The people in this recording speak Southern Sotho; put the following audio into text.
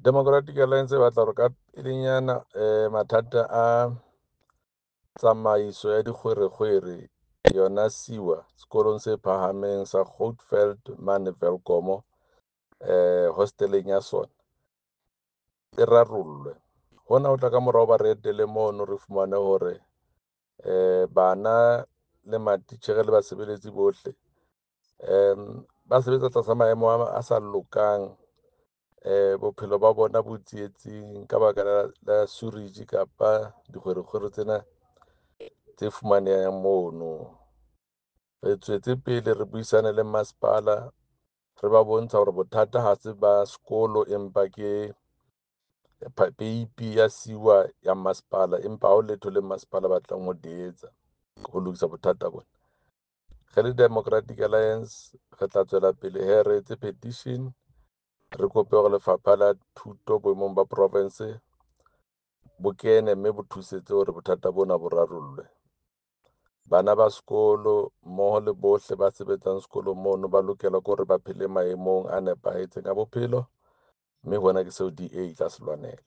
Democratic Alliance e batla hore ka pelenyana mathata a tsamaiso ya dikgwerekgwere yona sewer sekolong se phahameng sa Goatfield mane Welkom hosteleng ya sona e rarollwe. Hona ho tla ka morao ba re etele mono, re fumane hore bana le matitjhere le basebeletsi bohle ba sebetsa tlasa maemo a sa lokang. Bophelo ba bona bo tsietsing ka baka la sewerage kapa dikgwerekgwere tsena tse fumanehang mono. Re tswetse pele re buisane le masepala, re ba bontsha hore bothata ha se ba sekolo, empa ke peipi ya sewer ya masepala, empa ha ho letho le masepala o batlang ho di etsa ho lokisa bothata bona. Re le Democratic Alliance re tla tswela pele hee re etse petition, re kope hore Lefapha la Thuto boemong ba province bo kene mme bo thusetse hore bothata bona bo rarollwe. Bana ba sekolo mmoho le bohle ba sebetsang sekolong mono ba lokela ke hore ba phele maemong a nepahetseng a bophelo, mme hona ke seo DA e tla se lwanela.